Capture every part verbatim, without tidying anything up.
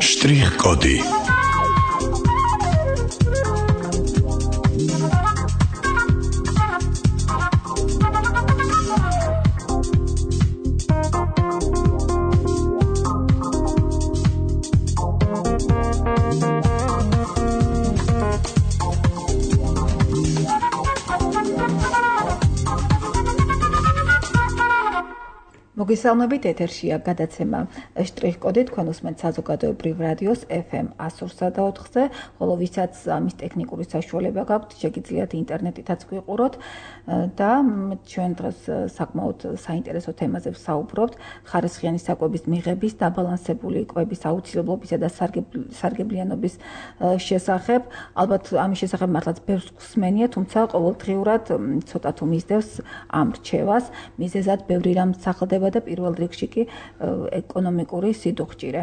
Штрих-коды. მოგესალმებით, ეთერშია გადაცემა შტრიხ-კოდი, თქვენ უსმენთ საზოგადოებრივ რადიოს ეფ ემ one oh three point four-ზე, ხოლო ვისაც ამის ტექნიკური საშუალება გაქვთ, შეგიძლიათ ინტერნეტითაც გვიყუროთ და ჩვენ დღეს საკმაოდ საინტერესო თემაზე ვსაუბრობთ, ხარისხიანი საკვების მიღების, დაბალანსებული კვების აუცილებლობისა და სარგებლიანობის შესახებ. ალბათ ამის შესახებ მართლაც ბევრს გვსმენია, თუმცა ყოველდღიურად ცოტა თუ მისდევს ამ რჩევას, მიზეზად ბევრი რამ სახელდება და პირველ რიგში კი ეკონომიკური სიდუხჭირე.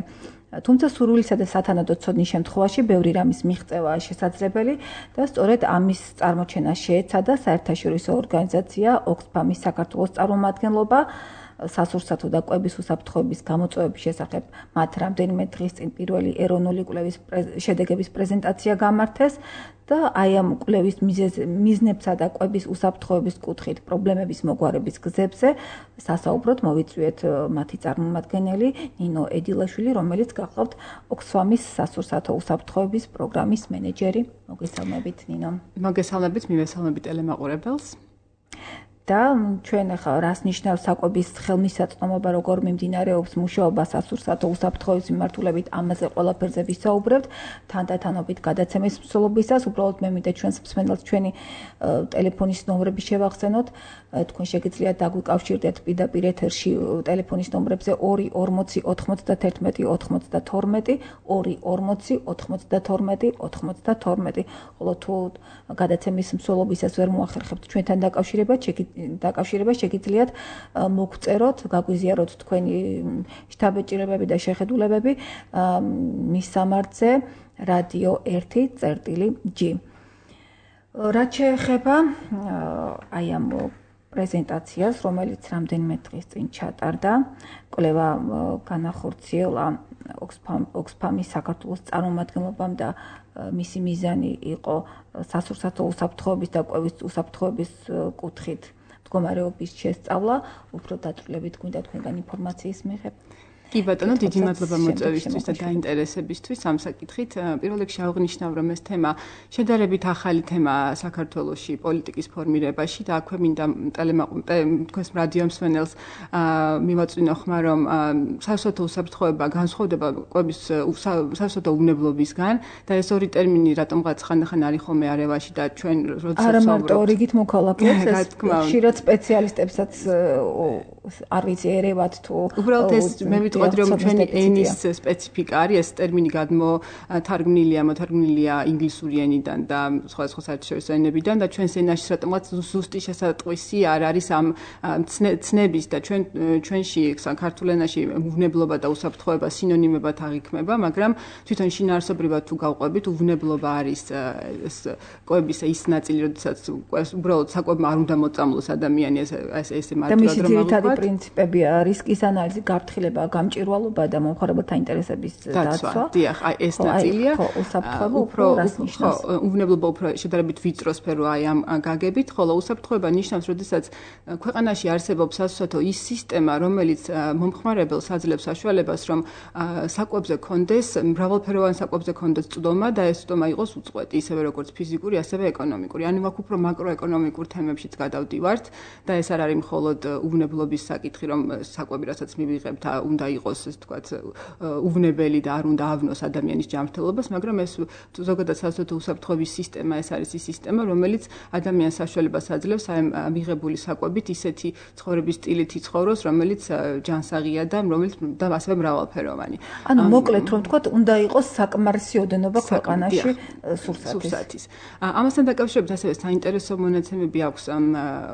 თუმცა სურვილისა და სათანადო ცოდნის შემთხვევაში ბევრი რამის მიღწევაა შესაძლებელი და სწორედ ამის წარმოჩენა შეეცადა საერთაშორისო ორგანიზაცია ოქსფამის საქართველოს წარმომადგენლობა სასურსათო და კვების უსაფრთხოების გამოწვევების შესახებ მათ რამდენიმე დღის წინ პირველი ეროვნული კვლევის შედეგების პრეზენტაცია გამართეს და აი ამ კვლევის მიზნებსა და კვების უსაფრთხოების კუთხით პრობლემების მოგვარების გზებზე სასაუბროდ მოვიწვიეთ მათი წარმომადგენელი ნინო ედილაშვილი, რომელიც გახლავთ ოქსფამის სასურსათო უსაფრთხოების პროგრამის მენეჯერი. მოგესალმებით, ნინო. მოგესალმებით, მივესალმებით ტელემაყურებელს. და ჩვენ ახლა რას ნიშნავს საკვების ხელმისაწვდომობა, როგორ მიმდინარეობს მუშაობა სასურსათო უსაფრთხოების მიმართულებით, ამაზე ყველაფერზე ვისაუბრებთ თანდათანობით გადაცემის მსვლელობისას. უბრალოდ მე მინდა ჩვენს მსმენელს ჩვენი ტელეფონის ნომრები შევახსენოთ. თქვენ შეგიძლიათ დაგვიკავშირდეთ პირდაპირ ეთერში ტელეფონის ნომრებზე ორი ორმოცი ოთხმოცდათერთმეტი ოთხმოცდათორმეტი, ორი ორმოცი ოთხმოცდათორმეტი ოთხმოცდათორმეტი. ხოლო თუ გადაცემის მსვლელობისას ვერ მოახერხებთ ჩვენთან დაკავშირება, დაკავშირება შეგიძლიათ მოგწეროთ, გაგვიზიაროთ თქვენი შთაბეჭდილებები და შეხედულებები მის სამართზე რადიო ერთი წერტილი ჯი. რაც შეეხება აი ამ პრეზენტაციას, რომელიც რამდენიმე დღის წინ ჩატარდა, კვლევა განახორციელა ოქსფამის საქართველოს წარმომადგენლობამ და მისი მიზანი იყო სასურსათო უსაფრთხოების და კვების უსაფრთხოების კუთხით მდგომარეობის შესწავლა. უფრო დაწვრილებით გვინდა თქვენგან ინფორმაციის მიღება. კი ბატონო, დიდი მადლობა მოწვევისთვის და დაინტერესებისთვის ამ საკითხით. პირველ რიგში აღნიშნავ, რომ ეს თემა შედარებით ახალი თემაა საქართველოში პოლიტიკის ფორმირებაში და აქვე მინდა თქვენს რადიო მსმენელს მივაწვინო ხმა, რომ სასურსათო უსაფრთხოება განსხვავდება კვების სასურსათო უვნებლობისგან და ეს ორი ტერმინი რატომღაც ხანდახან არის ხოლმე არევაში და ჩვენ როდესაც არა მარტო რიგით მოქალაქეებს, ეს ხშირად სპეციალისტებსაც არ ვიცი ერევათ თუ უბრალოდ ეს მე ვიტყოდი რომ ჩვენი ენის სპეციფიკა არის ეს ტერმინი გადმოთარგმნილია მოთარგმნილია ინგლისური ენიდან და სხვადასხვა საერთაშორისო ენებიდან და ჩვენს ენაში რატომღაც ზუსტი შესატყვისი არ არის ამ ცნების და ჩვენ ჩვენში ქართულ ენაში უვნებლობა და უსაფრთხოება სინონიმებად აღიქმება, მაგრამ თვითონ შინაარსობრივად თუ გავყვებით უვნებლობა არის ეს კვების ის ნაწილი, როდესაც უბრალოდ საკვებმა არ უნდა მოწამლოს ადამიანი ეს ესე მარტივად რომ აღიქვათ პრინციპებია რისკის ანალიზი, გაფრთხილება, გამჭვირვალობა და მომხმარებელთა ინტერესების დაცვა. დიახ, აი ეს ნაწილია. უსაფრთხოება უფრო რას ნიშნავს? უვნებლობა უფრო შედარებით ვიწრო სფერო აი ამ გაგებით, ხოლო უსაფრთხოება ნიშნავს, როდესაც ქვეყანაში არსებობს სასურსათო ის სისტემა, რომელიც მომხმარებელს აძლევს საშუალებას, რომ საკვებზე კონდეს, მრავალფეროვან საკვებზე კონდეს წვდომა და ეს წვდომა იყოს უწყვეტი, ისევე როგორც ფიზიკური, ასევე ეკონომიკური. ანუ აქ უფრო მაკროეკონომიკურ თემებშიც გადავდივართ და ეს არ არის მხოლოდ უვნებლობის საკითხი, რომ საკვები რასაც მივიღებთ, უნდა იყოს ეს თქვათ უვნებელი და არ უნდა ავნოს ადამიანის ჯანმრთელობას, მაგრამ ეს ზოგადად სასურსათო უსაფრთხოების სისტემა, ეს არის ის სისტემა, რომელიც ადამიანს საშუალებას აძლევს აი მიღებული საკვებით ისეთი ცხოვრების სტილით იცხოვროს, რომელიც ჯანსაღია და რომელიც და ასევე მრავალფეროვანი. ანუ მოკლედ რომ თქვათ, უნდა იყოს საკმარისი ოდენობა ქვეყანაში სურსათის. ამასთან დაკავშირებით ასევე საინტერესო მონაცემები აქვს ამ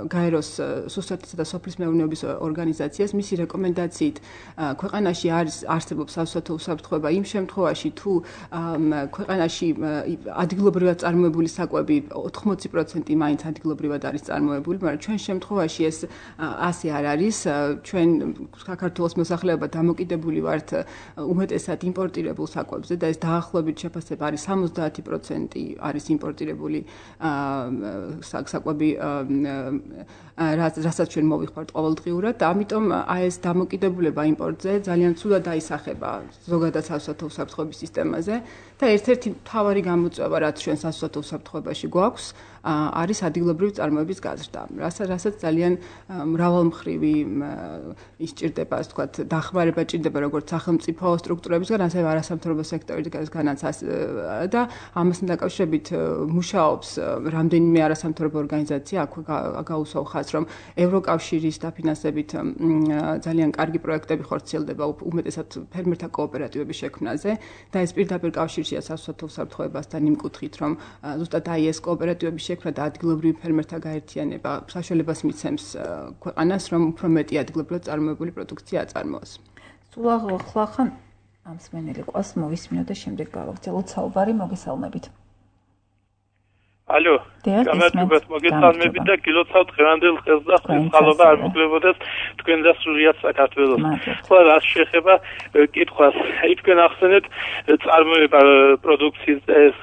გაეროს სურსათისა და სოფლის მეურნეობის ორგანიზაციას, მისი რეკომენდაციით ქვეყანაში არის არსებობს სასოფლო უსაფრთხოება იმ შემთხვევაში თუ ქვეყანაში ადგილობრივად წარმოებული საკვები ოთხმოცი პროცენტი მაინც ადგილობრივად არის წარმოებული, მაგრამ ჩვენ შემთხვევაში ეს ასე არ არის. ჩვენ საქართველოს მოსახლეობა დამოკიდებული ვართ უმეტესად იმპორტირებულ საკვებზე და ეს დაახლოებით შეფასება არის სამოცდაათი პროცენტი არის იმპორტირებული საკვები, რასაც ჩვენ მოვიხმართ ყოველდღიურად და ამიტომ აი ეს დამოკიდებულება იმპორტზე ძალიან ცუდად დაისახება ზოგადად სასოფლო უსაფრთხოების სისტემაზე და ერთ-ერთი მთავარი გამოწვევა რაც ჩვენ სასოფლო უსაფრთხოებაში გვაქვს არის ადგილობრივი წარმოების გაზრდა, რასაც ძალიან მრავალმხრივი ისჭირდება, ასე ვთქვათ, დახმარება ჭირდება როგორც სახელმწიფო სტრუქტურებისგან, ასევე არასამთავრობო სექტორისგანაც და ამასთან დაკავშირებით მუშაობს რამდენიმე არასამთავრობო ორგანიზაცია, აქვე გაუსვავ ხაზს, რომ ევროკავშირის დაფინანსებით ძალიან კარგი პროექტები ხორციელდება უმეტესად ფერმერთა კოოპერატივების შექმნაზე და ეს პირდაპირ კავშირშია სასოფლო უსაფრთხოებასთან იმ კუთხით, რომ ზუსტად აი ეს კოოპერატივების შექმნა და ადგილობრივი ფერმერთა გაერთიანება საშუალებას მიცემს ქვეყანას, რომ უფრო მეტი ადგილობრივად წარმოებული პროდუქცია აწარმოოს. სულ ახლახან ამ მსმენელი ყავს მოვისმინოთ და შემდეგ გავაგრძელოთ საუბარი, მოგესალმებით. Алло, გამარჯობათ, მოგესალმებით და გილოცავთ დღევანდელ ხელს და ხალხობა არ მოგლებოდეს თქვენ და სრულიად საქართველოს. ხო, რაც შეეხება კითხვას, თქვენ ახსენეთ წარმოება პროდუქციის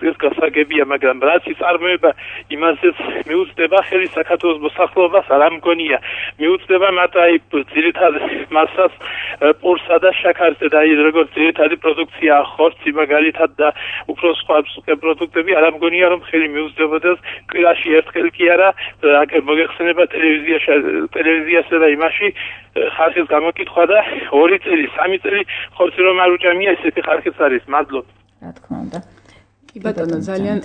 ეს გასაგებია, მაგრამ რაც წარმოება იმაზეც მიუწვდება ხელი საქართველოს მოსახლეობას არ ამგონია. მიუწვდება მათ აი ძირითადად მასას პურსა და შაქარზე და ის როგორც ძირითადი პროდუქცია ხორცი მაგალითად და უფრო სხვა პროდუქტები არ ამგონია რომ ხელი მიუწვდება კვირაში ერთხელ კი არა მოგეხსენება ტელევიზიაში ტელევიზიასა და იმაში ხალხის გამოკითხვა და ორი წელი სამი წელი ხორცი რომ არ უჭამია ესეთი ხალხიც არის. მადლობ. რა თქმა უნდა. კი ბატონო, ძალიან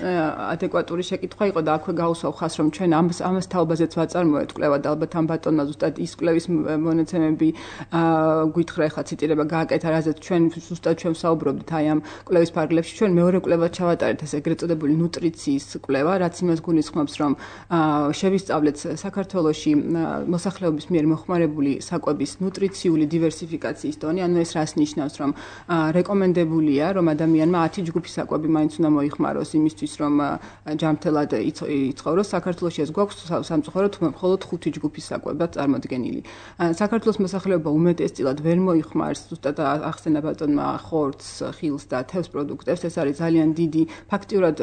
ადეკვატური შეკითხვა იყო და აქვე გაუსვავ ხაზს, რომ ჩვენ ამას ამას თაობაზეც ვაწარმოეთ კვლევა და ალბათ ამ ბატონმა ზუსტად ის კვლევის მონაცემები გვითხრა, ახლა ციტირება გააკეთა, რაზეც ჩვენ ზუსტად ჩვენ ვსაუბრობდით აი ამ კვლევის ფარგლებში. ჩვენ მეორე კვლევას ჩავატარეთ, ეს ეგრეთ წოდებული ნუტრიციის კვლევა, რაც იმას გულისხმობს, რომ შევისწავლეთ საქართველოში მოსახლეობის მიერ მოხმარებული საკვების ნუტრიციული დივერსიფიკაციის დონე, ანუ ეს რას ნიშნავს, რომ რეკომენდებულია, რომ ადამიანმა ათი ჯგუფი საკვები მაინც უნდა მოიხმაროს იმისთვის, რომ ჯანმრთელად იცხოვროს. საქართველოში ეს გვაქვს სამწუხაროდ მხოლოდ ხუთი ჯგუფის საკვებად წარმოდგენილი. საქართველოს მოსახლეობა უმეტესწილად ვერ მოიხმარს ზუსტად ახსენა ბატონმა ხორცს, ხილს და თევზ პროდუქტებს. ეს არის ძალიან დიდი, ფაქტიურად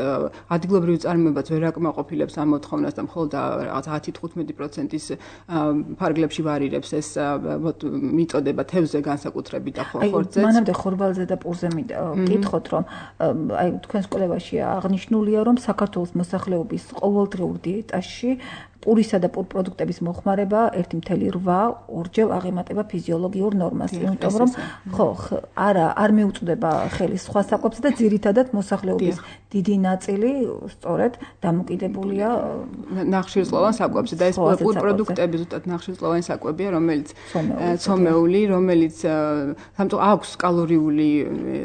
ადგილობრივი წარმოებაც ვერ აკმაყოფილებს ამ მოთხოვნას და მხოლოდ ათი თხუთმეტი პროცენტის ფარგლებში ვარირებს ეს მიწოდება თევზზე განსაკუთრებით და ხორცზე. მანამდე ხორბალზე და პურზე მიკითხოთ, რომ აი თქვენს კვლევაში აღნიშნულია, რომ საქართველოს მოსახლეობის ყოველდღიურ დიეტაში პურისა და პურ პროდუქტების მოხმარება ერთი წუთი რვა ორჯერ აღემატება ფიზიოლოგიურ ნორმას, იმიტომ რომ ხო, არა, არ მიუწვდება ხელი სხვა საკვებს და ძირითადად მოსახლეობის დიდი ნაწილი სწორედ დამოკიდებულია ნახშირწყლოვან საკვებზე და ეს პურ პროდუქტები ზუსტად ნახშირწყლოვანი საკვებია, რომელიც ცომეული, რომელიც სამწუხაროდ აქვს კალორიული,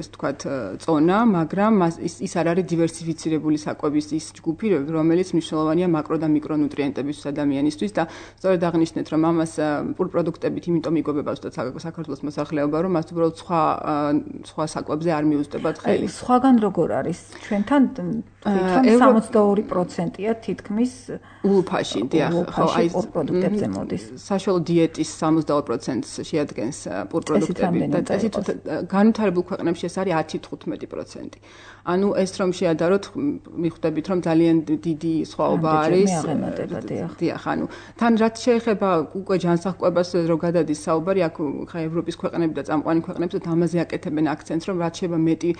ეს თქვათ, წონა, მაგრამ ის არ არის დივერსიფიცირებული საკვების ის ჯგუფი, რომელიც მნიშვნელოვანია მაკრო და მიკრონუტრიენტების ადამიანისთვის და სწორედ აღნიშნეთ, რომ ამას პურ პროდუქტებით იმიტომ იკვებება ზუსტად საქართველოს მოსახლეობა, რომ მას უბრალოდ სხვა სხვა საკვებზე არ მიუწვდებათ ხელი. სხვაგან როგორ არის? ჩვენთან თვითონ სამოცდაორი პროცენტია თითქმის ულუფაში, დიახ, ხო, აი პურ პროდუქტებზე მოდის. საშუალო დიეტის სამოცდაორ პროცენტს შეადგენს პურ პროდუქტები და წესით განვითარებულ ქვეყნებში ეს არის ათი თხუთმეტი პროცენტი. ანუ ეს რომ შეადაროთ, მიხვდებით, რომ ძალიან დიდი სხვაობა არის. დიახ, ანუ თან რაც შეეხება უკვე ჯანსაღკვებას რო გადადის საუბარი, აქ ხა ევროპის ქვეყნები და წამყვანი ქვეყნები და ამაზე აკეთებენ აქცენტს, რომ რაც შეება მეტი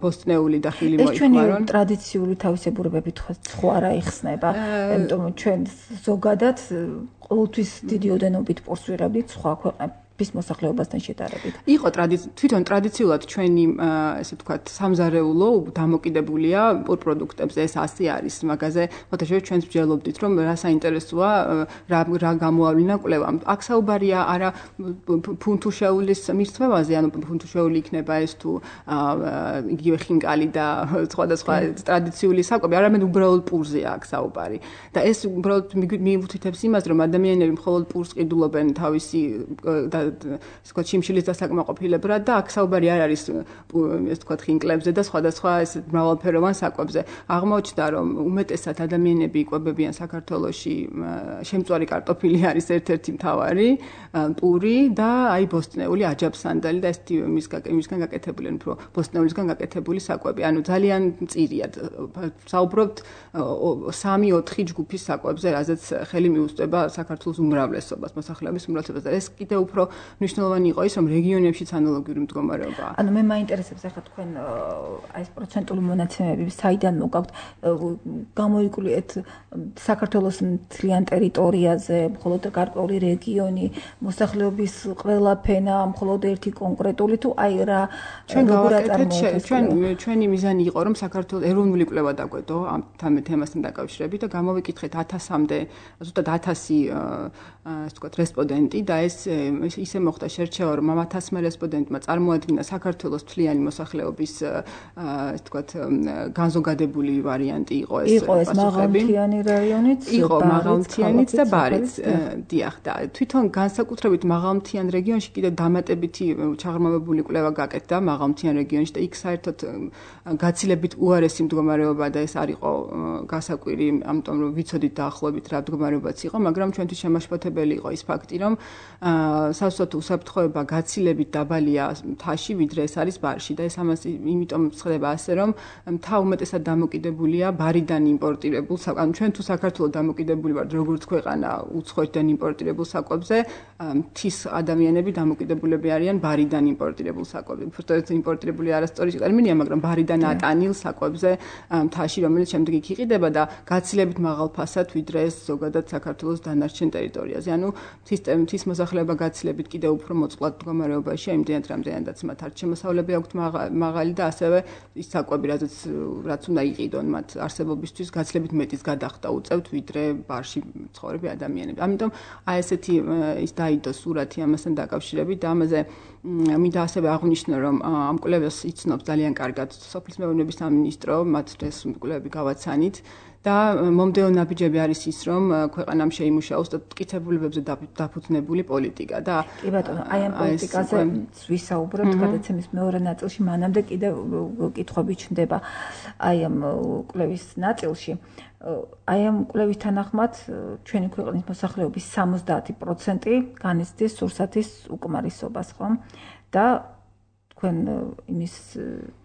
ბოსტნეული და ხილი მოიხმარონ. ეს ჩვენი ტრადიციული თავისებურებები ხო არა იხსნება, იმიტომ რომ ჩვენ ზოგადად ყოველთვის დიდი ოდენობით პურს ვიღებდით სხვა ქვეყნებში. bis მოსახლეობასთან შედარებით. იყო თვითონ ტრადიციულად ჩვენი ესე ვთქვათ სამზარეულო დამოკიდებულია პურ პროდუქტებზე, ეს ასე არის. მაგაზე ფოტოშოპში ჩვენს ვჯელობდით, რომ რა საინტერესოა, რა რა გამოავლინა კვლევამ. აქ საუბარია არა ფუნთუშეულის მირთმევაზე, ანუ ფუნთუშეული იქნება ეს თუ იგივე ხინკალი და სხვადასხვა ტრადიციული საკვები, არამედ უბრალოდ პურზეა აქ საუბარი. და ეს უბრალოდ მიუთითებს იმას, რომ ადამიანები მხოლოდ პურს ყიდულობენ თავისი და ესე ვთქვათ, შიმშილის დასაკმაყოფილებრად და აქ საუბარი არ არის ესე ვთქვათ, ხინკლებზე და სხვადასხვა ეს მრავალფეროვან საკვებზე. აღმოჩნდა, რომ უმეტესად ადამიანები იკვებებიან საქართველოში შემწვარი კარტოფილი არის ერთ-ერთი მთავარი, პური და აი ბოსტნეული აჯაბსანდალი და ესეთი მისგან გაკეთებული, უფრო ბოსტნეულისგან გაკეთებული საკვები. ანუ ძალიან მწირია. საუბრობთ სამი ოთხი ჯგუფის საკვებზე, რაზეც ხელი მიუწვდება საქართველოს უმრავლესობას, მოსახლეობის უმრავლესობას. ეს კიდევ უფრო მნიშვნელოვანი იყო ის, რომ რეგიონებშიც ანალოგიური მდგომარეობაა. ანუ მე მაინტერესებს ახლა თქვენ აი ეს პროცენტული მონაცემები საიდან მოგაქვთ? გამოიკლიეთ საქართველოს მთლიან ტერიტორიაზე, მხოლოდ გარკვეული რეგიონი, მოსახლეობის ყველა ფენა, მხოლოდ ერთი კონკრეტული თუ აი რა ჩვენ გავაკეთეთ ჩვენ ჩვენი მიზანი იყო, რომ საქართველოს ეროვნული კვლევა დაგვედო ამ თემასთან დაკავშირებით და გამოვიკითხეთ ათასამდე, ზუსტად ათასი ასე ვთქვათ, რესპონდენტი და ეს ისე მოხდა შერჩევა, რომ ამ ათასმა რესპონდენტმა წარმოადგინა საქართველოს მთლიანი მოსახლეობის ასე ვთქვათ, განზოგადებული ვარიანტი იყო ეს იყო ეს მაღალმთიანი რაიონიც, იყო მაღალმთიანიც და ბარიც, დიახ და თვითონ განსაკუთრებით მაღალმთიან რეგიონში კიდე დამატებითი ჩაღრმავებული კვლევა გაკეთდა მაღალმთიან რეგიონში და იქ საერთოდ გაცილებით უარესი მდგომარეობა და ეს არ იყო გასაკვირი, ამიტომ რომ ვიცოდით დაახლოებით რა მდგომარეობაც იყო, მაგრამ ჩვენთვის შემაშფოთებელი იყო ის ფაქტი, რომ სასწორთო უსაფრთხოება გაცილებით დაბალია მთაში, ვიდრე ეს არის ბარში და ეს ამას იმიტომ ხდება ასე, რომ მთა უმეტესად დამოკიდებულია ბარიდან იმპორტირებულ, ანუ ჩვენ თუ საქართველოს დამოკიდებული ვართ როგორც ქვეყანა უცხოეთიდან იმპორტირებულ საკვებზე, მთის ადამიანები დამოკიდებულები არიან ბარიდან იმპორტირებულ საკვებზე. უბრალოდ იმპორტირებული არასწორი ტერმინია, მაგრამ ბარიდან ატანილ საკვებზე მთაში, რომელიც შემდეგ იქ იყიდება და გაცილებით მაღალ ფასად, ვიდრე ეს ზოგადად საქართველოს დანარჩენ ტერიტორიაზე. ანუ მთის მოსახლეობა გაცილებით კიდევ უფრო მოწყვლად მდგომარეობაშია, იმდენად რამდენადაც მათ არ შემოსავლები აქვთ მაღალი და ასევე ის საკვები, რაც რაც უნდა იყიდონ მათ არსებობისთვის, გაცილებით მეტის გადახდა უწევთ, ვიდრე ბარში მცხოვრები ადამიანები. ამიტომ აი ესეთი ის დაიდო სურათი ამასთან დაკავშირებით და ამაზე მინდა ასევე აღვნიშნო, რომ ამ კვლევას იცნობს ძალიან კარგად სოფლის მეურნეობის სამინისტრო, მათ ეს კვლევები გავაცანით და მომდევნო ნაბიჯები არის ის, რომ ქვეყანამ შეიმუშაოს და მტკიცებულებებზე დაფუძნებული პოლიტიკა და კი ბატონო, აი ამ პოლიტიკაზე ვისაუბრებთ გადაცემის მეორე ნაწილში, მანამდე კიდევ კითხვები ჩნდება აი ამ კვლევის ნაწილში. აი ამ კვლევის თანახმად ჩვენი ქვეყნის მოსახლეობის სამოცდაათი პროცენტი განიცდის სურსათის უკმარისობას, ხო? და თქვენ იმის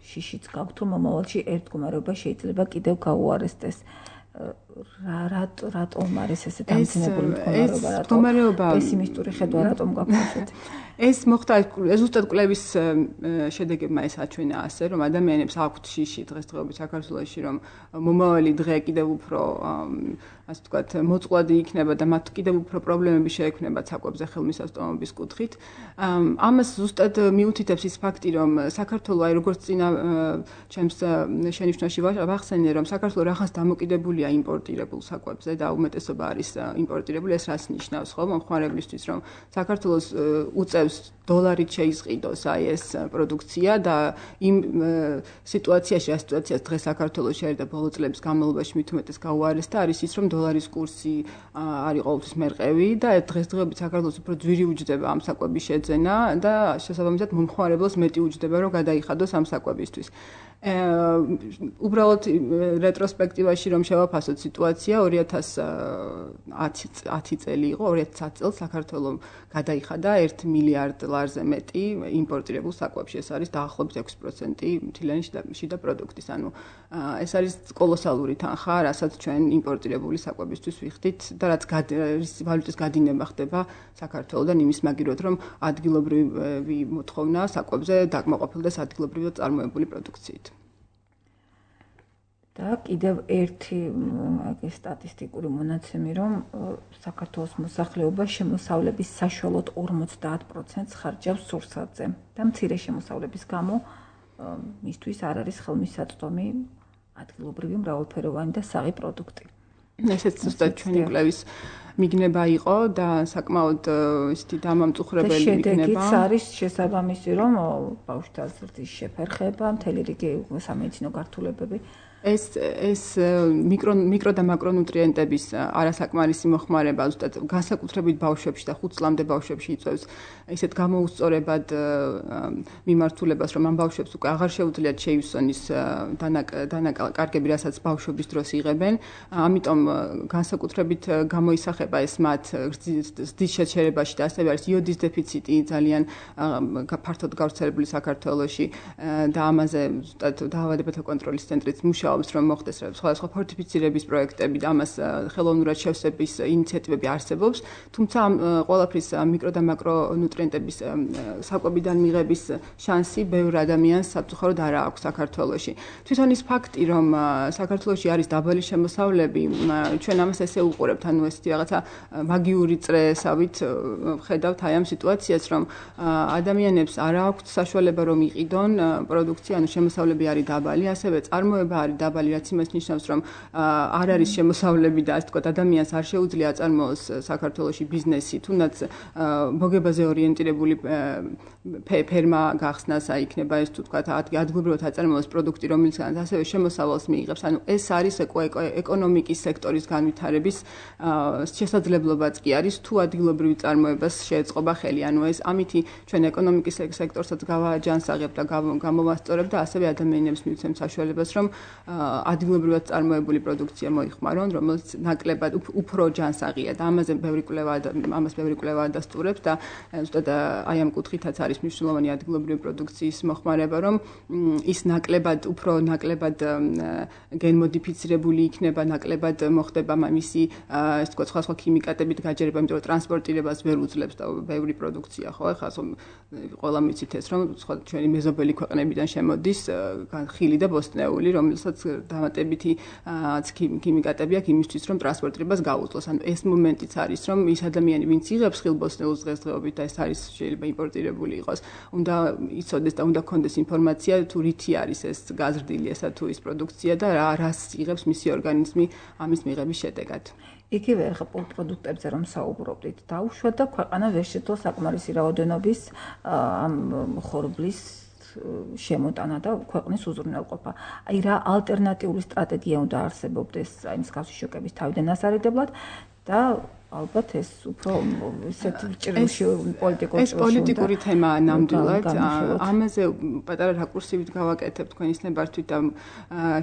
შიშიც გაქვთ, რომ მომავალში ერთგომარეობა შეიძლება კიდევ გაუარესდეს. რა რატომ არის ესე დამძიმებული მდგომარეობა? პესიმისტური ხედვა რატომ გაქვთ ესეთი? ეს მოხდა ზუსტად კვლევის შედეგებმა ეს აჩვენა ასე, რომ ადამიანებს აქვთ შიში დღესდღეობით საქართველოში, რომ მომავალი დღე კიდევ უფრო ასე ვთქვათ, მოწყვლადი იქნება და მათ კიდევ უფრო პრობლემები შეექმნებათ საკვებზე ხელმისაწვდომობის კუთხით. ამას ზუსტად მიუთითებს ის ფაქტი, რომ საქართველო აი როგორც წინა ჩემს შენიშვნაში ვახსენე, რომ საქართველო რაღაც დამოკიდებულია იმპორტირებულ საკვებზე და უმეტესობა არის იმპორტირებული, ეს რას ნიშნავს, ხო, მომხმარებლისთვის, რომ საქართველოს უწევს დოლარით შეიზღიდოს აი ეს პროდუქცია და იმ სიტუაციაში, რა სიტუაციას დღეს საქართველოში არის და ბოლო წლების განმავლობაში მით უმეტეს გაუარესდა, არის ის, რომ დოლარის კურსი არის ყოველთვის მერყევი და დღესდღეობით საქართველოს უფრო ძვირი უჯდება ამ საკვების შეძენა და შესაბამისად მომხმარებელს მეტი უჯდება, რომ გადაიხადოს ამ საკვებისთვის. უბრალოდ რეტროსპექტივაში რომ შევაფასოთ სიტუაცია ორი ათას ათი წელი იყო, ორი ათას ათი წელს საქართველოს გადაიხადა ერთ მილიარდ ლარზე მეტი იმპორტირებულ საკვებში. ეს არის დაახლოებით ექვსი პროცენტი მთლიანი შიდა პროდუქტის. ანუ ეს არის კოლოსალური თანხა, რასაც ჩვენ იმპორტირებული საკვებისთვის ვიხდით და რაც ვალუტის გადინება ხდება საქართველოსთან იმის მაგივრად, რომ ადგილობრივი მოთხოვნა საკვებზე დაკმაყოფილდეს ადგილობრივად წარმოებული პროდუქციით. და კიდევ ერთი აი სტატისტიკური მონაცემი, რომ საქართველოს მოსახლეობა შემოსავლების საშუალოდ ორმოცდაათ პროცენტს ხარჯავს სურსათზე და მცირე შემოსავლების გამო მისთვის არ არის ხელმისაწვდომი ადგილობრივი მრავალფეროვანი და საღი პროდუქტი. ესეც ზუსტად ჩვენი კვლევის მიგნება იყო და საკმაოდ ისეთი დამამწუხრებელი მიგნება. შედეგიც არის შესაბამისი, რომ ბავშვთა ზრდის შეფერხება, მთელი რიგი სამედიცინო გართულებები ეს ეს მიკრო მიკრო და მაკრონუტრიენტების არასაკმარისი მოხმარება ზუსტად განსაკუთრებით ბავშვებში და ხუთ წლამდე ბავშვებში იწვევს ისეთ გამოუსწორებად მიმართულებას, რომ ამ ბავშვებს უკვე აღარ შეუძლიათ შეივსონ ის დანაკარგები, რასაც ბავშვობის დროს იღებენ. ამიტომ განსაკუთრებით გამოისახება ეს მათ ზრდის შეჩერებაში და ასევე არის იოდის დეფიციტი ძალიან ფართოდ გავრცელებული საქართველოში და ამაზე ზუსტად დაავადებათა კონტროლის ცენტრიც მუშაობს, რომ მოხდეს სხვადასხვა ფორტიფიცირების პროექტები და ამას ხელოვნურად შევსების ინიციატივები არსებობს, თუმცა ამ ყველაფრის მიკრო და მაკრო ნუტრიენტების საკვებიდან მიღების შანსი ბევრ ადამიანს საფრთხოდ არ აქვს საქართველოში. თვითონ ის ფაქტი, რომ საქართველოში არის დაბალი შემოსავლები, ჩვენ ამას ესე უყურებთ, ანუ ესეთი რაღაცა მაგიური წრესავით ხედავთ აი ამ სიტუაციას, რომ ადამიანებს არ აქვთ საშუალება რომ იყიდონ პროდუქცია, ანუ შემოსავლები არის დაბალი, ასევე წარმოება არის დაბალი, რაც იმას ნიშნავს, რომ არ არის შემოსავლები და ასე ვთქვათ, ადამიანს არ შეუძლია აწარმოოს საქართველოში ბიზნესი, თუნდაც მოგებაზე ორიენტირებული ფერმა გახსნას, აი იქნება ეს თუ ვთქვათ, ადგილობრივად აწარმოოს პროდუქტი, რომელიცაც ასევე შემოსავალს მიიღებს. ანუ ეს არის ეკონომიკის სექტორის განვითარების შესაძლებლობაც კი არის, თუ ადგილობრივ წარმოებას შეეწყობა ხელი. ანუ ეს ამითი ჩვენ ეკონომიკის სექტორსაც გავაჯანსაღებთ და გამოვასწორებთ და ასევე ადამიანებს მივცემთ საშუალებას, რომ ადგილობრივად წარმოებული პროდუქცია მოიხმარონ, რომელიც ნაკლებად უფრო ჯანსაღია და ამაზე ბევრი კვლევა ამას ბევრი კვლევა დასტურებს და ზუსტად აი ამ კუთხითაც არის მნიშვნელოვანი ადგილობრივი პროდუქციის მოხმარება, რომ ის ნაკლებად უფრო ნაკლებად გენმოდიფიცირებული იქნება, ნაკლებად მოხდება მისი ეს თქვა სხვა სხვა ქიმიკატებით გაჯერება, იმიტომ რომ ტრანსპორტირებას ვერ უძლებს და ბევრი პროდუქცია ხო ახლა ყველა მიცით ეს რომ სხვა ჩვენი მეზობელი ქვეყნებიდან შემოდის ხილი და ბოსტნეული, რომელსაც დამატებითი ქიმიკატები აქვს იმისთვის, რომ ტრანსპორტირებას გაუძლოს. ანუ ეს მომენტიც არის, რომ ის ადამიანი, ვინც იღებს ხილბოსტნეულს დღესდღეობით და ეს არის შეიძლება იმპორტირებული იყოს, უნდა იცოდეს და უნდა ქონდეს ინფორმაცია, თუ რითი არის ეს გაზრდილი ესა თუ ის პროდუქცია და რა რას იღებს მისი ორგანიზმი ამის მიღების შედეგად. იგივე ახლა პროდუქტებზე რომ საუბრობდით, დაუშვათ და ქვეყანა ვერ შეძლო საკმარისი რაოდენობის ამ ხორბლის შემოტანა და ქვეყნის უზრუნველყოფა. აი რა ალტერნატიული სტრატეგია უნდა არსებობდეს აი მსგავსი შოკების თავიდან ასარიდებლად და ალბათ ეს უფრო ისეთ ჭრილში პოლიტიკურ ეს პოლიტიკური თემაა ნამდვილად. ამაზე პატარა რაკურსივით გავაკეთებ თქვენის ნებართვით და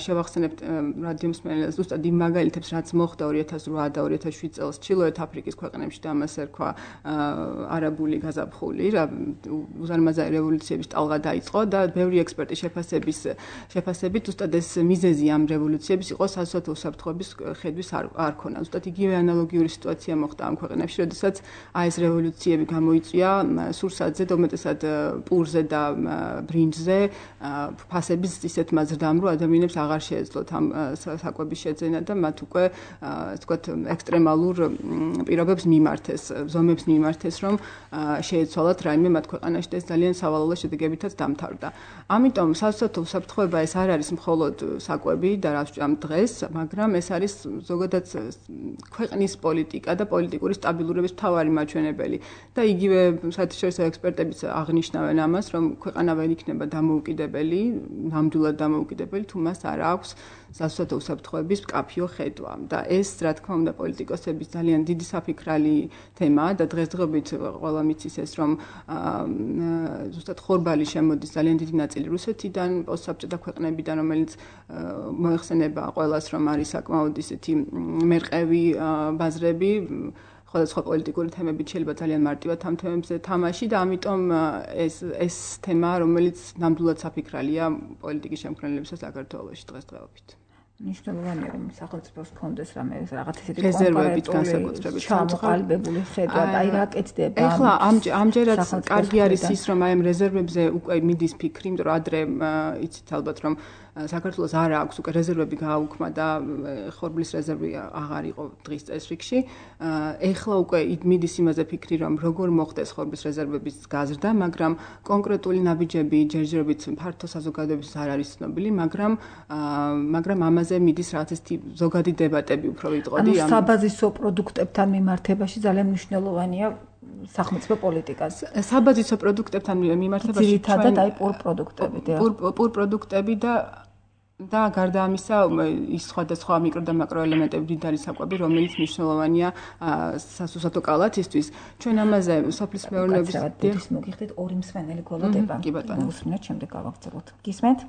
შევახსენებთ რადიო მსმენელს ზუსტად იმ მაგალითებს, რაც მოხდა ორი ათას რვა და ორი ათას შვიდ წელს ჩრდილოეთ აფრიკის ქვეყნებში და ამას ერქვა არაბული გაზაფხული, რა უზარმაზარი რევოლუციების ტალღა დაიწყო და ბევრი ექსპერტის შეფასების შეფასებით ზუსტად ეს მიზეზი ამ რევოლუციების იყო საზოგადო უსაფრთხოების ხედვის არ ქონა. ზუსტად იგივე ანალოგიური სიტუაცია მოხდა ამ ქვეყნებში, როდესაც აი ეს რევოლუციები გამოიწვია სურსათზე და უმეტესად პურზე და ბრინჯზე ფასების ისეთ მაზრდამ, რომ ადამიანებს აღარ შეეძლოთ ამ საკვების შეძენა და მათ უკვე ასე ვთქვათ ექსტრემალურ პირობებს მიმართეს, ზომებს მიმართეს, რომ შეეცვალათ რაიმე მათ ქვეყანაში და ეს ძალიან სავალალო შედეგებითაც დამთავრდა. ამიტომ საზოგადო უსაფრთხოება ეს არ არის მხოლოდ საკვები და რაც ამ დღეს, მაგრამ ეს არის ზოგადად ქვეყნის პოლიტიკა და პოლიტიკური სტაბილურობის მთავარი მაჩვენებელი და იგივე საერთაშორისო ექსპერტებიც აღნიშნავენ ამას, რომ ქვეყანა ვერ იქნება დამოუკიდებელი, ნამდვილად დამოუკიდებელი, თუ მას არ აქვს საზოგადო უსაფრთხოების მკაფიო ხედვა. და ეს, რა თქმა უნდა, პოლიტიკოსების ძალიან დიდი საფიქრალი თემაა და დღესდღეობით ყველა მიცის ეს, რომ ზუსტად ხორბალი შემოდის ძალიან დიდი ნაწილი რუსეთიდან, პოსტსაბჭოთა ქვეყნებიდან, რომელიც მოეხსენება ყველას, რომ არის საკმაოდ ისეთი მერყევი ბაზრები, სხვადასხვა პოლიტიკური თემებით შეიძლება ძალიან მარტივად ამ თემებზე თამაში და ამიტომ ეს ეს თემა, რომელიც ნამდვილად საფიქრალია პოლიტიკის შემქმნელებისა საქართველოში დღესდღეობით. მნიშვნელოვანია რომ სახელმწიფოს კონდეს რამე რაღაც ისეთი რეზერვებით განსაკუთრებით ჩამოყალიბებული ხედვა და აი რა კეთდება. ეხლა ამჯერად კარგი არის ის რომ აი ამ რეზერვებზე უკვე მიდის ფიქრი, იმიტომ რომ ადრე იცით ალბათ რომ საქართველოს არ აქვს უკვე რეზერვები გააუქმა და ხორბლის რეზერვი აღარ იყო დღის წესრიგში. ეხლა უკვე მიდის იმაზე ფიქრი, რომ როგორ მოხდეს ხორბლის რეზერვების გაზრდა, მაგრამ კონკრეტული ნაბიჯები ჯერჯერობით ფართო საზოგადოებისთვის არ არის ცნობილი, მაგრამ მაგრამ ამაზე მიდის რაღაც ესეთი ზოგადი დებატები უფრო ვიტყოდი. ანუ საბაზისო პროდუქტებთან მიმართებაში ძალიან მნიშვნელოვანია სახელმწიფო პოლიტიკას. საბაზისო პროდუქტებთან მიმართებაში ძირითადად აი პურ პროდუქტები და პურ პურ პროდუქტები და და გარდა ამისა ის სხვადასხვა მიკრო და მაკრო ელემენტები მდიდარი საკვები, რომელიც მნიშვნელოვანია სასუსათო კალათისთვის. ჩვენ ამაზე სოფლის მეურნეობის დიახ მოგიხდით ორი მსმენელი გველოდება. კი ბატონო. უსმინოთ შემდეგ გავაგრძელოთ. გისმენთ?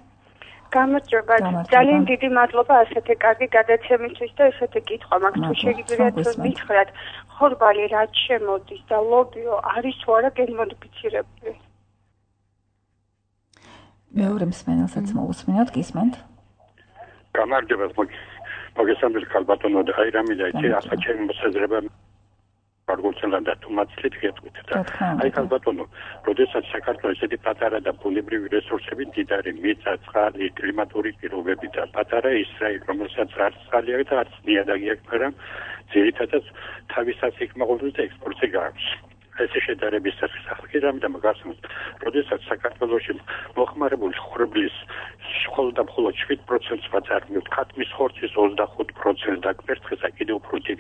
გამარჯობა. ძალიან დიდი მადლობა ასეთი კარგი გადაცემისთვის და ესეთი კითხვა მაქვს თუ შეგიძლიათ მითხრათ, ხორბალი რაც შემოდის და ლობიო არის თუ არა გენმოდიფიცირებული? მეორე მსმენელსაც მოусმინოთ, გისმენთ? გამარჯობა, მოგესალმებით ქალბატონო და აი რამე დაიცი, ახლა ჩემი მოსაზრება გარკვეულწილად და თუმაცლით გეტყვით და აი ქალბატონო, როდესაც საქართველოს ესეთი პატარა და ბუნებრივი რესურსები მდიდარი, მიწა, წყალი, კლიმატური პირობები და პატარა ისრაელი, რომელსაც არც წყალი აქვს და არც ნიადაგი აქვს, მაგრამ ძირითადად თავისას იკმაყოფილებს და ექსპორტზე გააქვს. ესე შედარების სახელი რამე მაგასმოთ, როდესაც საქართველოში მოხმარებული ხვრბლის მხოლოდ და მხოლოდ შვიდ პროცენტს ვაწარმოებთ, ქათმის ხორცის ოცდახუთ პროცენტს და კვერცხისა კიდევ უფრო დიდ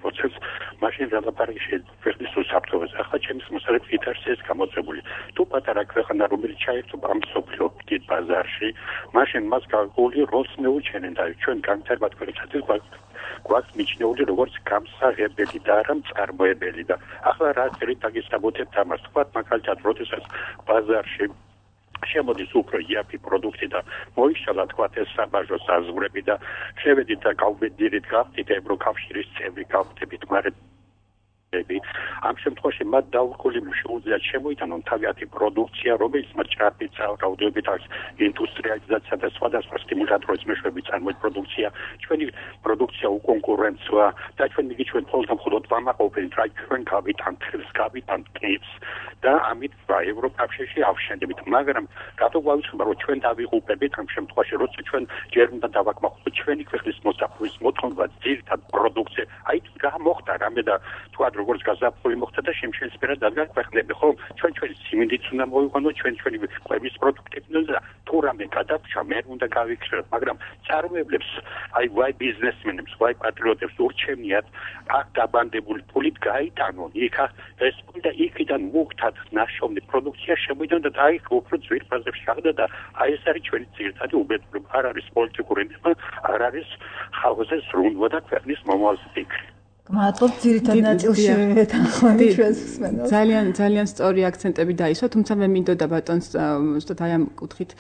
პროცენტს, მაშინ რა ლაპარაკი შეიძლება ქვეყნის უსაფრთხოებას. ახლა ჩემს მოსაზრებით იქ არის ეს გამოწვეული. თუ პატარა ქვეყანა რომელიც ჩაერთო ამ სოფლიო დიდ ბაზარში, მაშინ მას გარკვეული როლს მეუჩენენ და ჩვენ განვითარებად ქვეყნებსაც გვაქვს მიჩნეული როგორც გამსაღებელი და არა მწარმოებელი და ახლა რა წერით დაგესაბუთებთ ამას თქვათ მაგალითად როდესაც ბაზარში შემოდის უფრო იაფი პროდუქტი და მოიშალა თქვათ ეს საბაჟო საზღვრები და შევედით და გავბედირით გავხდით ევროკავშირის წევრი გავხდებით მაგრამ ამ შემთხვევაში მათ დაუყოლი შეუძლიათ შემოიტანონ თავიანთი პროდუქცია, რომელიც მათ ჭარბი რაოდენობით აქვს ინდუსტრიალიზაცია და სხვადასხვა სტიმულატორების მეშვეობით წარმოქმნის პროდუქცია. ჩვენი პროდუქცია უკონკურენტოა და ჩვენ მიგი ჩვენ მხოლოდ მხოლოდ ვამაყობენ რა ჩვენ გავიტანთ ხელს, გავიტანთ კებს და ამით ევროკავშირში ავშენდებით. მაგრამ რატო გვაუცხება რომ ჩვენ დავიღუპებით ამ შემთხვევაში, როცა ჩვენ ჯერ უნდა დავაკმაყოფილოთ ჩვენი ქვეყნის მოსახლეობის მოთხოვნა ძირითად პროდუქცია. აი რა მოხდა რამე და თქვა როგორც გაზაფხული მოხდა და შემშენსფერად დადგა ქვეყნები, ხო? ჩვენ ჩვენი სიმინდიც უნდა მოვიყვანოთ, ჩვენ ჩვენი კვების პროდუქტები და თუ რამე გადაგვჭა, მე უნდა გავიქცევთ, მაგრამ წარმოებლებს, აი ვაი ბიზნესმენებს, ვაი პატრიოტებს ურჩევნიათ აქ დაბანდებული ფულით გაიტანონ, იქ ეს და იქიდან მოგთათ ნაშოვნი პროდუქცია შემოიდონ და აი უფრო ძვირფასებში აღდა და აი ეს არის ჩვენი ძირითადი უბედურება, არ არის პოლიტიკური ნემა, არ არის ხალხზე სრულდება და ქვეყნის მომავალზე ფიქრი. მადლობთ ძირითად ნაწილში თანხმობით ჩვენს მსმენელს. ძალიან ძალიან სწორი აქცენტები დაისვა, თუმცა მე მინდოდა ბატონს უბრალოდ აი ამ კუთხით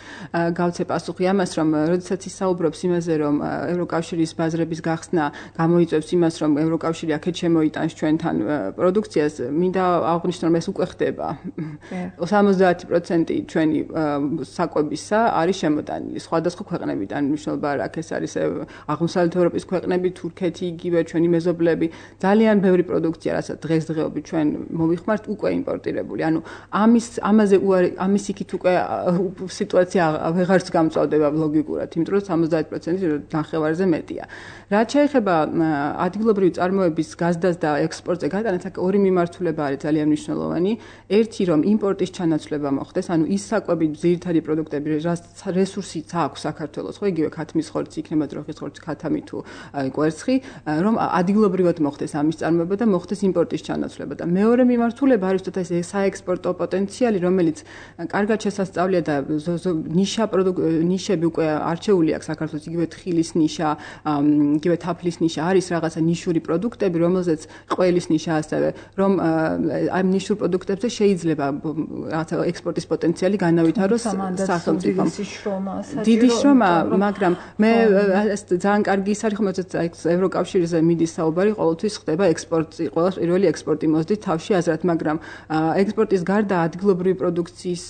გავცე პასუხი ამას, რომ როდესაც ისაუბრობს იმაზე, რომ ევროკავშირის ბაზრების გახსნა გამოიწვევს იმას, რომ ევროკავშირი აქეთ შემოიტანს ჩვენთან პროდუქციას, მინდა აღვნიშნო, რომ ეს უკვე ხდება. სამოცდაათი პროცენტი ჩვენი საკვებისა არის შემოტანილი სხვადასხვა ქვეყნებიდან, მნიშვნელობა არ აქვს, ეს არის აღმოსავლეთ ევროპის ქვეყნები, თურქეთი, იგივე ჩვენი მეზობლები. ძალიან ბევრი პროდუქცია, რასაც დღესდღეობით ჩვენ მოვიხმართ, უკვე იმპორტირებული. ანუ ამის ამაზე ამის იქით უკვე სიტუაცია ვეღარც გამწვავდება ლოგიკურად, იმიტომ რომ სამოცდაათი პროცენტი ნახევარზე მეტია. რაც შეეხება ადგილობრივი წარმოების გაზდას და ექსპორტზე გატანას, აქ ორი მიმართულება არის ძალიან მნიშვნელოვანი. ერთი, რომ იმპორტის ჩანაცვლება მოხდეს, ანუ ის საკვები ძირითადი პროდუქტები, რაც რესურსიც აქვს საქართველოს, ხო, იგივე ქათმის ხორცი, იქნება ძროხის ხორცი, ქათამი თუ კვერცხი, რომ ადგილობრივად მოხდეს ამის წარმოება და მოხდეს იმპორტის ჩანაცვლება. და მეორე მიმართულება არის თოთ ეს საექსპორტო პოტენციალი, რომელიც კარგად შესასწავლია და ნიშა ნიშები უკვე არჩეული აქვს საქართველოს, იგივე თხილის ნიშა, იგივე თაფლის ნიშა არის რაღაცა ნიშური პროდუქტები, რომელზეც ყველის ნიშა ასევე, რომ ამ ნიშურ პროდუქტებზე შეიძლება რაღაცა ექსპორტის პოტენციალი განავითაროს სახელმწიფომ. დიდი შრომა, მაგრამ მე ეს ძალიან კარგი ის არის, რომელზეც ევროკავშირზე მიდის საუბარი, ყოველთვის ხდება ექსპორტი, ყოველ პირველი ექსპორტი მოსდით თავში აზრად, მაგრამ ექსპორტის გარდა ადგილობრივი პროდუქციის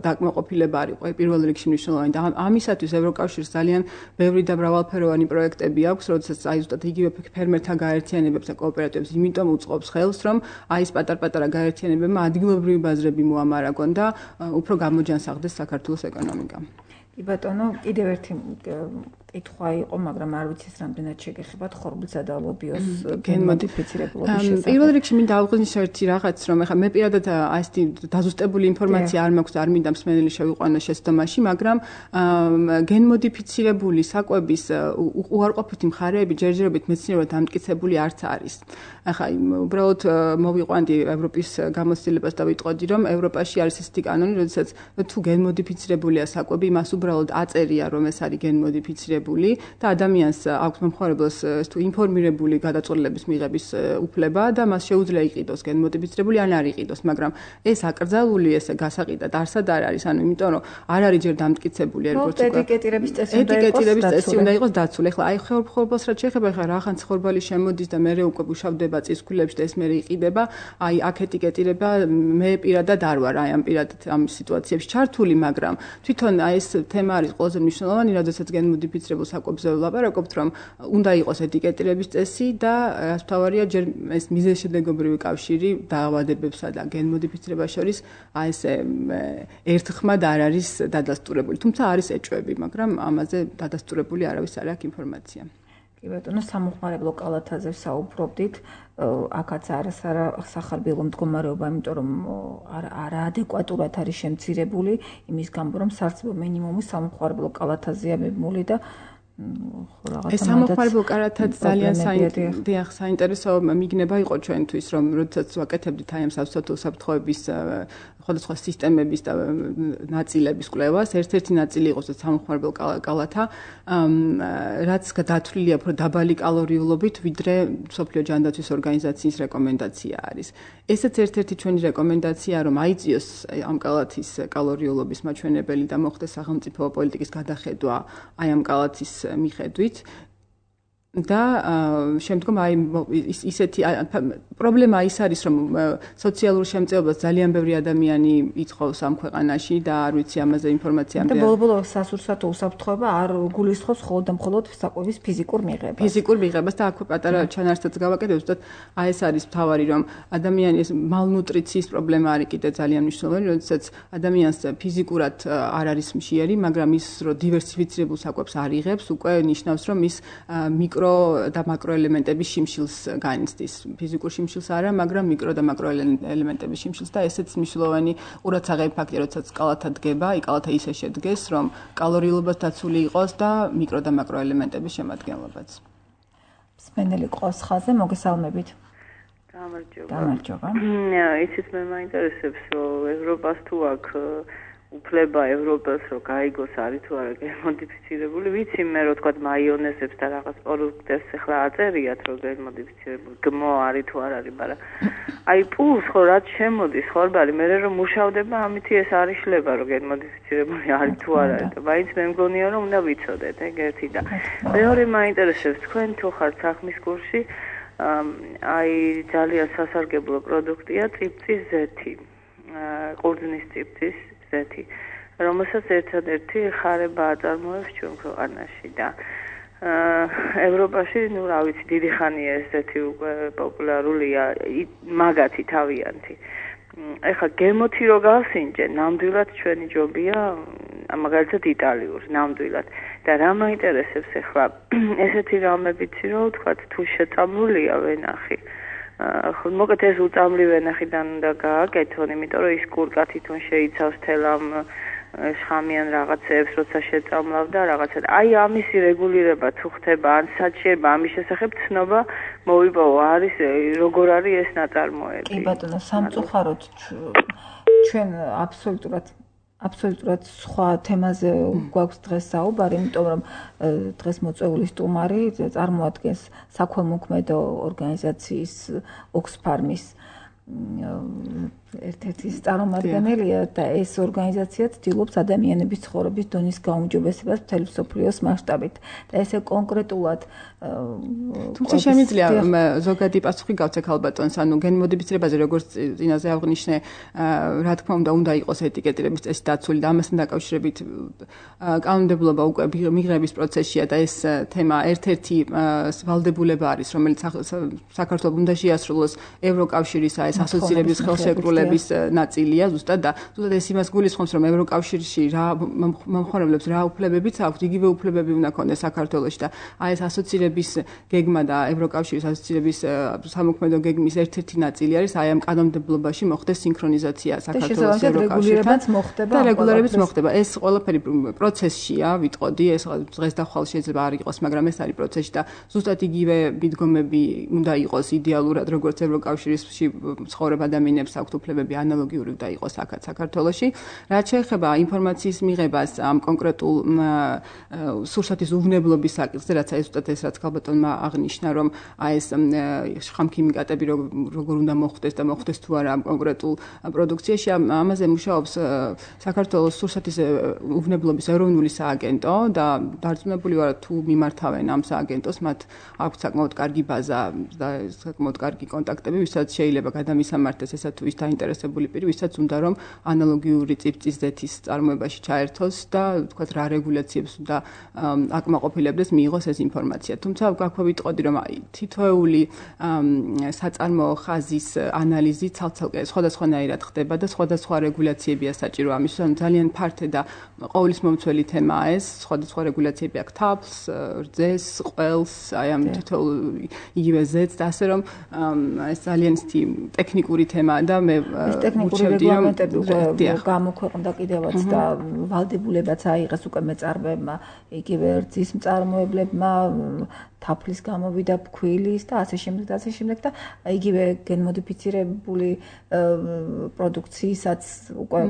დაკმაყოფილება არის პირველ რიგში მნიშვნელოვანი და ამისათვის ევროკავშირს ძალიან ბევრი და მრავალფეროვანი პროექტები აქვს, როდესაც აი ზუსტად იგივე ფერმერთა გაერთიანებებს და კოოპერატივებს იმიტომ უწყობს ხელს, რომ აი ეს პატარ-პატარა გაერთიანებებმა ადგილობრივი ბაზრები მოამარაგონ და უფრო გამოჯანსაღდეს საქართველოს ეკონომიკა. კი ბატონო, კიდევ ერთი კითხვა იყო, მაგრამ არ ვიცი ეს რამდენად შეგეხებათ ხორბლისა და ლობიოს გენმოდიფიცირებულობის შესახებ. პირველ რიგში მინდა აღვნიშნო ერთი რაღაც, რომ ეხლა მე პირადად აი ეს დაზუსტებული ინფორმაცია არ მაქვს, არ მინდა მსმენელი შევიყვანო შეცდომაში, მაგრამ გენმოდიფიცირებული საკვების უარყოფითი მხარეები ჯერჯერობით მეცნიერულად დამტკიცებული არც არის. ახლა უბრალოდ მოვიყვანდი ევროპის გამოცდილებას და ვიტყოდი, რომ ევროპაში არის ესეთი კანონი, როდესაც თუ გენმოდიფიცირებულია საკვები, მას უბრალოდ აწერია, რომ ეს არის გენმოდიფიცირებული და ადამიანს აქვს მომხმარებელს თუ ინფორმირებული გადაწყვეტილების მიღების უფლება და მას შეუძლია იყიდოს გენმოდიფიცირებული ან არ იყიდოს, მაგრამ ეს აკრძალული, ესე გასაყიდად არსად არ არის, ანუ იმიტომ რომ არ არის ჯერ დამტკიცებული, როგორც უკვე ეტიკეტირების წესი უნდა იყოს ეტიკეტირების წესი უნდა იყოს დაცული. ეხლა აი ხორბალს რაც შეეხება, ეხლა რაღაც ხორბალი შემოდის და მე უკვე უშავდება წისქვილებში და ეს მე იყიდება, აი აქ ეტიკეტირება მე პირადად არ ვარ აი ამ პირადად ამ სიტუაციებში ჩართული, მაგრამ თვითონ აი ეს თემა არის ყველაზე მნიშვნელოვანი, რადგანაც გენმოდიფიცირებულ საკვებზე ვლაპარაკობთ, რომ უნდა იყოს ეტიკეტირების წესი და რაც თავარია ჯერ ეს მიზეზშედეგობრივი კავშირი დაავადებებსა და გენმოდიფიცირებას შორის აი ეს ერთხმად არ არის დადასტურებული. თუმცა არის ეჭვები, მაგრამ ამაზე დადასტურებული არავის არ აქვს ინფორმაცია. კი ბატონო, სამოხმარებლო კალათაზე ვსაუბრობდით, აქაც არის არა სახარბილო მდგომარეობა, იმიტომ რომ არაადეკვატურად არის შემცირებული იმის გამო, რომ საარსებო მინიმუმი სამოხმარებლო კალათაზეა მიბმული და ეს სამოხმარებლო კალათაც ძალიან საინტერესო მიგნება იყო ჩვენთვის, რომ როდესაც ვაკეთებდით აი ამ სასწავლო საფრთხეების სხვადასხვა სისტემების და ნაწილების კვლევას, ერთ-ერთი ნაწილი იყო სამოხმარებლო კალათა, რაც დათვლილია უფრო დაბალი კალორიულობით, ვიდრე მსოფლიო ჯანდაცვის ორგანიზაციის რეკომენდაცია არის. ესეც ერთ-ერთი ჩვენი რეკომენდაცია, რომ აიწიოს ამ კალათის კალორიულობის მაჩვენებელი და მოხდეს სახელმწიფო პოლიტიკის გადახედვა აი ამ კალათის მიხედვით. და შემდგომ აი ისეთი პრობლემა ის არის, რომ სოციალურ შემწეობას ძალიან ბევრი ადამიანი ითხოვს ამ ქვეყანაში და არ ვიცი ამაზე ინფორმაცია და ბოლო-ბოლო სასურსათო უსაფრთხოება არ გულისხმობს მხოლოდ და მხოლოდ საკვების ფიზიკურ მიღებას. ფიზიკურ მიღებას და აქვე პატარა ჩანართაც გავაკეთებ, ზუსტად აი ეს არის მთავარი, რომ ადამიანის მალნუტრიციის პრობლემა არის კიდე ძალიან მნიშვნელოვანი, როდესაც ადამიანს ფიზიკურად არ არის მშიერი, მაგრამ ის რომ დივერსიფიცირებულ საკვებს არ იღებს, უკვე ნიშნავს, რომ ის მიკრო და მაკროელემენტების შიმშილს განიცდის. ფიზიკურ შიმშილს არა, მაგრამ მიკრო და მაკროელემენტების შიმშილს და ესეც მნიშვნელოვანი ყურადსაღები ფაქტია, როდესაც კალათა დგება, აი კალათა ისე შედგეს, რომ კალორიულობაც დაცული იყოს და მიკრო და მაკროელემენტების შემადგენლობაც. მსმენელი ყავს ხაზზე, მოგესალმებით. გამარჯობა. გამარჯობა. ისიც მე მაინტერესებს, რომ ევროპას თუ აქ უფლება ევროპელს რომ გაიგოს არის თუ არა გენმოდიფიცირებული, ვიცი მე რომ თქვა მაიონეზებს და რაღაც პროდუქტებს ახლა აწერიათ რომ გენმოდიფიცირებული გმო არის თუ არ არის, მაგრამ აი პულს ხო რაც შემოდის ხორბალი, მე რომ მუშავდება ამითი ეს არის შლება რომ გენმოდიფიცირებული არის თუ არ არის და მაინც მე მგონია რომ უნდა ვიცოდეთ ეგ ერთი და მეორე მაინტერესებს თქვენ თუ ხართ საქმის კურსში, აი ძალიან სასარგებლო პროდუქტია წიფწის ზეთი, ყურძნის წიფწის ზეთი, რომელსაც ერთადერთი ხარება აწარმოებს ჩვენ ქვეყანაში და ევროპაში, ну, რა ვიცი, დიდი ხანია ეს ზეთი უკვე პოპულარულია, მაგათი თავიანთი. ეხლა გემოთი რო გავსინჯე, ნამდვილად ჩვენი ჯობია, მაგალითად იტალიურ, ნამდვილად. და რა მაინტერესებს ეხლა ესეთი რამებიცი რო ვთქვათ, თუ შეწამლულია ვენახი. ხო, მოგეთ ეს უწამლი ვენახიდან უნდა გააკეთონ, იმიტომ რომ ის კურკა თვითონ შეიცავს თელ ამ შხამიან რაღაცებს, როცა შეწამლავ და რაღაცა. აი ამის რეგულირება თუ ხდება, ან საჭიროება ამის შესახებ ცნობა მოვიპოვო, არის როგორ არის ეს ნაწარმოები. კი ბატონო, სამწუხაროდ ჩვენ აბსოლუტურად აბსოლუტურად სხვა თემაზე გვაქვს დღეს საუბარი, იმიტომ რომ დღეს მოწვეული სტუმარი წარმოადგენს საქველმოქმედო ორგანიზაციის ოქსფარმის ერთ-ერთი წარმომადგენელია და ეს ორგანიზაცია ცდილობს ადამიანების ცხოვრების დონის გაუმჯობესებას მთელი მსოფლიოს მასშტაბით და ესე კონკრეტულად თუმცა შემიძლია ზოგადი პასუხი გავცე ქალბატონს, ანუ გენმოდიფიცირებაზე როგორც წინაზე აღნიშნე, რა თქმა უნდა, უნდა იყოს ეტიკეტირების წესი დაცული და ამასთან დაკავშირებით კანონმდებლობა უკვე მიღების პროცესშია და ეს თემა ერთ-ერთი ვალდებულება არის, რომელიც საქართველოს უნდა შეასრულოს ევროკავშირის ეს ასოცირების ხელშეკრულების ნაწილია ზუსტად და ზუსტად ეს იმას გულისხმობს, რომ ევროკავშირში რა მომხმარებლებს რა უფლებებიც აქვთ, იგივე უფლებები უნდა ქონდეს საქართველოში და აი ეს ასოცირების გეგმა და ევროკავშირის ასოცირების სამოქმედო გეგმის ერთ-ერთი ნაწილი არის აი ამ კანონმდებლობაში მოხდეს სინქრონიზაცია საქართველოს ევროკავშირთან და რეგულირებაც მოხდება. ეს ყველაფერი პროცესშია, ვიტყოდი, ეს დღეს და ხვალ შეიძლება არ იყოს, მაგრამ ეს არის პროცესში და ზუსტად იგივე მიდგომები უნდა იყოს იდეალურად, როგორც ევროკავშირში ცხოვრებ ადამიანებს აქვთ უფლებები ანალოგიური და იყოს აქაც საქართველოში. რაც შეეხება ინფორმაციის მიღებას ამ კონკრეტულ სურსათის უვნებლობის საკითხზე, რაც აი ზუსტად ეს რაც ქალბატონმა აღნიშნა, რომ აი ეს შხამქიმიკატები როგორ უნდა მოხდეს და მოხდეს თუ არა ამ კონკრეტულ პროდუქციაში, ამაზე მუშაობს საქართველოს სურსათის უვნებლობის ეროვნული სააგენტო და დარწმუნებული ვარ თუ მიმართავენ ამ სააგენტოს, მათ აქვს საკმაოდ კარგი ბაზა და საკმაოდ კარგი კონტაქტები, ვისაც შეიძლება გადამისამართეს ესა თუ ის დაინტერესებული პირი, ვისაც უნდა რომ ანალოგიური წიფწის ზეთის წარმოებაში ჩაერთოს და თქვათ რა რეგულაციებს და აკმაყოფილებდეს მიიღოს ეს ინფორმაცია. თუმცა გაქვე ვიტყოდი რომ თითოეული საწარმოო ხაზის ანალიზი ცალ-ცალკე სხვადასხვანაირად ხდება და სხვადასხვა რეგულაციებია საჭირო ამისთვის, ანუ ძალიან ფართე და ყოვლის მომცველი თემაა ეს, სხვადასხვა რეგულაციები აქვს თაფლს, რძეს, ყველს, აი ამ თითოეულ იგივე ზეთს და ასე რომ ეს ძალიან ისეთი ტექნიკური თემაა და მე ტექნიკური რეგლამენტები უკვე გამოქვეყნდა კიდევაც და ვალდებულებაც აიღეს უკვე მეწარმეებმა, იგივე რძის მწარმოებლებმა, თაფლის გამოვიდა ფქვილის და ასე შემდეგ და ასე შემდეგ და იგივე გენმოდიფიცირებული პროდუქცияსაც უკვე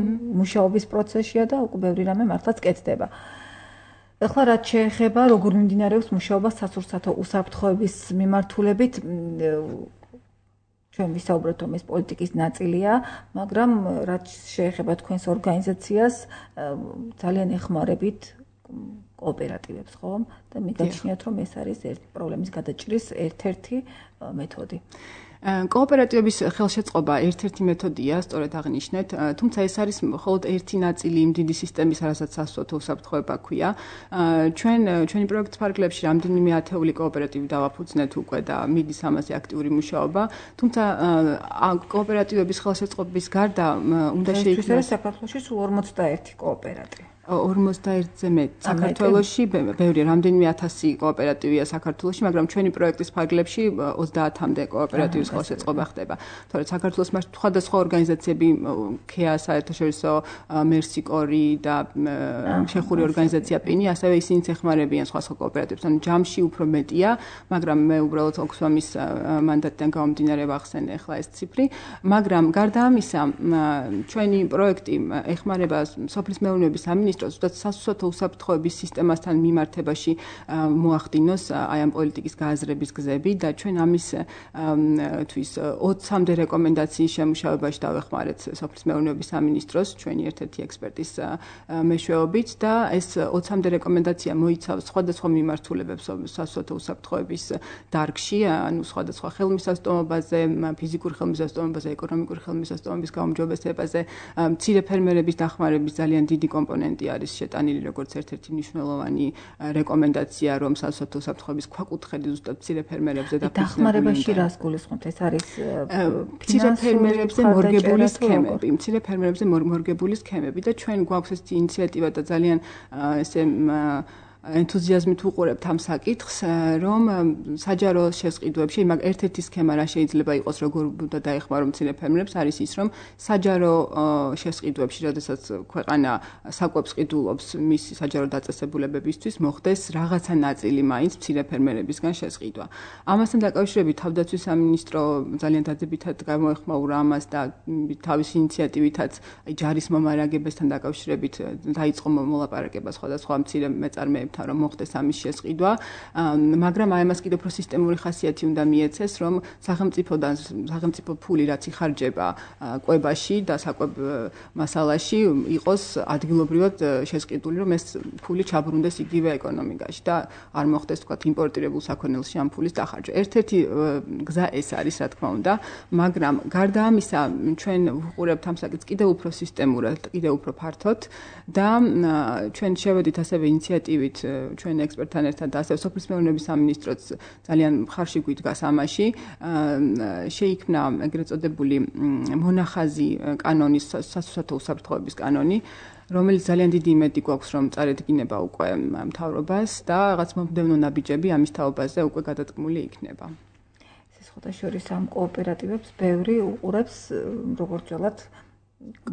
მუშაობის პროცესია და უკვე ბევრი რამე მართლაც კეთდება. ეხლა რაც შეეხება როგორ მიმდინარეობს მუშაობა სასურსათო უსაფრთხოების მიმართულებით, ჩვენ ვისაუბრეთ რომ ეს პოლიტიკის ნაწილია, მაგრამ რაც შეეხება თქვენს ორგანიზაციას, ძალიან ეხმარებით კოოპერატივებს, ხო? და მიგაჩნიათ რომ ეს არის ერთი პრობლემის გადაჭრის ერთ-ერთი მეთოდი. კოოპერატივების ხელშეწყობა ერთ-ერთი მეთოდია, სწორედ აღნიშნეთ, თუმცა ეს არის მხოლოდ ერთი ნაწილი იმ დიდი სისტემის, რასაც სასურსათო უსაფრთხოება ქვია. ჩვენ ჩვენი პროექტის ფარგლებში რამდენიმე ათეული კოოპერატივი დავაფუძნეთ უკვე და მიდის ამაზე აქტიური მუშაობა, თუმცა კოოპერატივების ხელშეწყობის გარდა უნდა შეიქმნას საქართველოში სულ ორმოცდაერთი კოოპერატივი. ორმოცდაერთზე მეტ საქართველოში ბევრი რამდენიმე ათასი კოოპერატივია საქართველოში, მაგრამ ჩვენი პროექტის ფარგლებში ოცდაათამდე კოოპერატივის ხელშეწყობა ხდება. თორემ საქართველოს მასშტაბით სხვადასხვა ორგანიზაციები, ქეა საერთაშორისო, მერსიკორი და ჩეხური ორგანიზაცია პინი, ასევე ისინიც ეხმარებიან სხვა სხვა კოოპერატივებს. ანუ ჯამში უფრო მეტია, მაგრამ მე უბრალოდ ოქსფამის მანდატიდან გამომდინარე ვახსენე ახლა ეს ციფრი, მაგრამ გარდა ამისა, ჩვენი პროექტი ეხმარება სოფლის მეურნეობის სამინისტროს ზუსტად სასურსათო უსაფრთხოების სისტემასთან მიმართებაში მოახდინოს აი ამ პოლიტიკის გააზრების გზები და ჩვენ ამის თვის ოცამდე რეკომენდაციის შემუშავებაში დავეხმარეთ სოფლის მეურნეობის სამინისტროს ჩვენი ერთ-ერთი ექსპერტის მეშვეობით და ეს ოცამდე რეკომენდაცია მოიცავს სხვადასხვა მიმართულებებს სასურსათო უსაფრთხოების დარგში, ანუ სხვადასხვა ხელმისაწვდომობაზე, ფიზიკური ხელმისაწვდომობაზე, ეკონომიკური ხელმისაწვდომობის გაუმჯობესებაზე, მცირე ფერმერების დახმარების ძალიან დიდი კომპონენტი არის შეტანილი როგორც ერთ-ერთი მნიშვნელოვანი რეკომენდაცია, რომ სასურსათო უსაფრთხოების ქვაკუთხედი ზუსტად მცირე ფერმერებზე და დახმარებაში რას გულისხმობთ? ეს არის მცირე ფერმერებზე მორგებული სქემები, მცირე ფერმერებზე მორგებული სქემები და ჩვენ გვაქვს ეს ინიციატივა და ძალიან ესე ენთუზიაზმით ვუყურებთ ამ საკითხს, რომ საჯარო შესყიდვებში, მაგ ერთ-ერთი სქემა რა შეიძლება იყოს, როგორ უნდა დაეხმარო მცირე ფერმერებს, არის ის, რომ საჯარო შესყიდვებში, როდესაც ქვეყანა საკვებს ყიდულობს მისი საჯარო დაწესებულებებისთვის, მოხდეს რაღაცა ნაწილი მაინც მცირე ფერმერებისგან შესყიდვა. ამასთან დაკავშირებით თავდაცვის სამინისტრო ძალიან დადებითად გამოეხმაურა ამას და თავისი ინიციატივითაც ჯარის მომარაგებასთან დაკავშირებით დაიწყო მოლაპარაკება სხვადასხვა მცირე მეწარმეებთან რომ მოხდეს ამის შესყიდვა, მაგრამ აი ამას კიდევ უფრო სისტემური ხასიათი უნდა მიეცეს, რომ სახელმწიფოდან სახელმწიფო ფული რაც იხარჯება კვებაში და საკვებ მასალაში იყოს ადგილობრივად შესყიდული, რომ ეს ფული ჩაბრუნდეს იგივე ეკონომიკაში და არ მოხდეს თქვა იმპორტირებულ საქონელში ამ ფულის დახარჯვა. ერთ-ერთი გზა ეს არის, რა თქმა უნდა, მაგრამ გარდა ამისა, ჩვენ ვუყურებთ ამ საკითხს კიდევ უფრო სისტემურად, კიდევ უფრო ფართოდ და ჩვენ შევედით ასევე ინიციატივით ჩვენ ექსპერტთან ერთად და ასევე სოფლის მეურნეობის სამინისტროც ძალიან მხარში გვიდგას ამაში. შეიქმნა ეგრეთ წოდებული მონახაზი კანონის, სასურსათო უსაფრთხოების კანონი, რომელიც ძალიან დიდი იმედი გვაქვს, რომ წარედგინება უკვე მთავრობას და რაღაც მომდევნო ნაბიჯები ამის თაობაზე უკვე გადადგმული იქნება. შორის ამ კოოპერატივებს ბევრი უყურებს როგორც ველად